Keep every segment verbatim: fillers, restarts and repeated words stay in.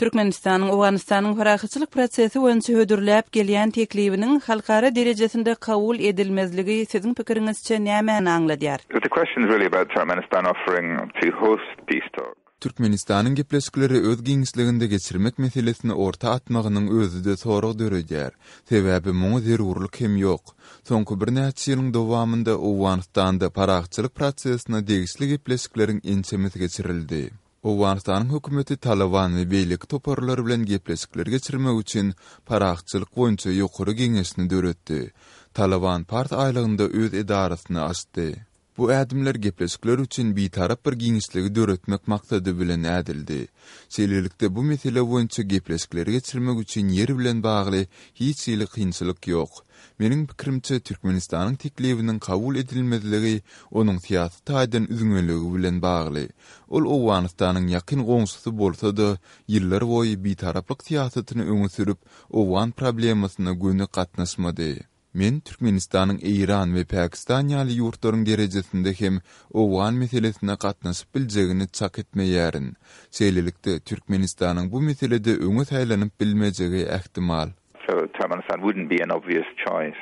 Türkmenistanyň Owganystanyň parahatçylyk prosesi boýunça hödürläp gelýän teklibiniň halkara derejesinde kabul edilmezligi siziň pikiriňizçe nämäni aňladýar? The question is really about Turkmenistan offering to host peace talks. Türkmenistanyň gepleşikleri öz giňişliginde geçirmek meselesini orta atmagynyň özi-de sorag döredýär. Sebäbi muňa zerurlyk hem ýok. Soňky birnäçe ýylyň dowamynda Owganystanda parahatçylyk prosesine degişli gepleşikleriň ençemesi geçirildi. Owganystanyň hökümeti Taliban we beýleki toparlar bilen gepleşikler geçirmek üçin parahatçylyk boýunça ýokary geňeşini döretdi. Taliban Pars aýlagynda öz edarasyny açdy. Bu ädimler gepleşikler üçin bitarap bir giňişligi döretmek maksady bilen ädildi. Şeýlelikde bu mesele boýunça gepleşikleri geçirmek üçin ýer bilen bagly hiç hili kynçylyk ýok. Meniň pikirimçe Türkmenistanyň teklibiniň kabul edilmezligi onuň syýasy taýdan üzňeligi bilen bagly. Ol Owganystanyň ýakyn goňşusy bolsa-da, ýyllar boýy bitaraplyk syýasatyny öňe sürüp, Owgan problemasyna göni gatnaşmady. Men Türkmenistanyň Eýran we Pakistan ýaly ýurtlaryň derejesinde hem Owgan meselesine gatnaşyp biljegini çak etmeýärin. Şeýlelikde Türkmenistanyň bu meselede öňe saýlanyp bilmejegi ähtimal. So Turkmenistan wouldn't be an obvious choice.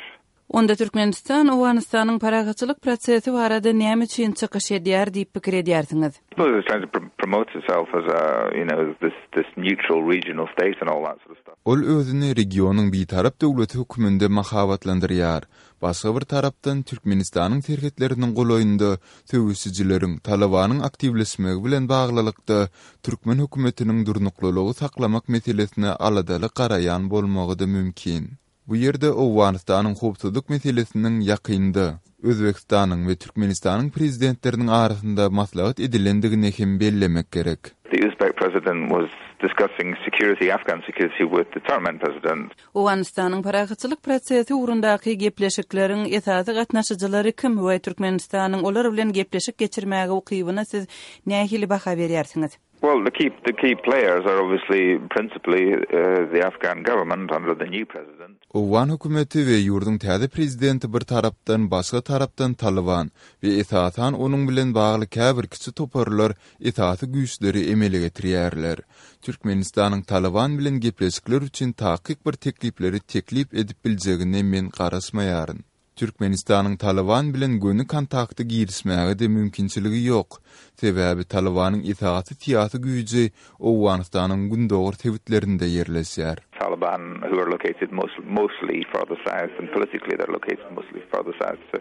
Onda Türkmenistan Owganystanyň parahatçylyk prosesi barada näme üçin çykyş edýär diýip pikir edýärsiňiz? Well, it's trying to pr- promote itself as a, you know, this this neutral regional state and all that sort of stuff. Ol özüni regionyň bitarap döwleti hökmünde mahabatlandyrýar. Başga bir tarapdan Türkmenistanyň serhetleriniň golaýynda söweşijileriň Talibanyň aktiwleşmegi bilen baglylykda türkmen hökümetiniň durnuklylygy saklamak meselesine aladaly garaýan bolmagy-da mümkin. Bu ýerde Owganystanyň howpsuzlyk meselesiniň ýakynda Özbekistanyň we Türkmenistanyň prezidentleriniň arasynda maslahat edilendigini hem bellemek gerek. The Uzbek president was discussing security, Afghan security with the Turkmen president. Owganystanyň parahatçylyk prosesi ugrundaky gepleşikleriň esasy gatnaşyjylary kim we Türkmenistanyň olar bilen gepleşik geçirmäge ukybyna siz nähili baha berýärsiňiz? Well, the key the key players are obviously principally uh, the Afghan government under the new president. Owgan hökümeti we ýurduň täze prezidenti bir tarapdan, başga tarapdan Taliban we esasan onuň bilen bagly käbir kiçi toparlar esasy güýçleri emele getirýärler. Türkmenistanyň Taliban bilen gepleşikler üçin takyk bir teklipleri teklip edip biljegine men garaşmaýaryn. Türkmenistanyň Taliban bilen göni kontakta girişmäge-de mümkinçiligi ýok. Sebäbi Talibanyň esasy syýasy güýji Owganystanyň gündogar sebitlerinde ýerleşýär. Taliban, who are located most, mostly further south, and politically they're located mostly further south. So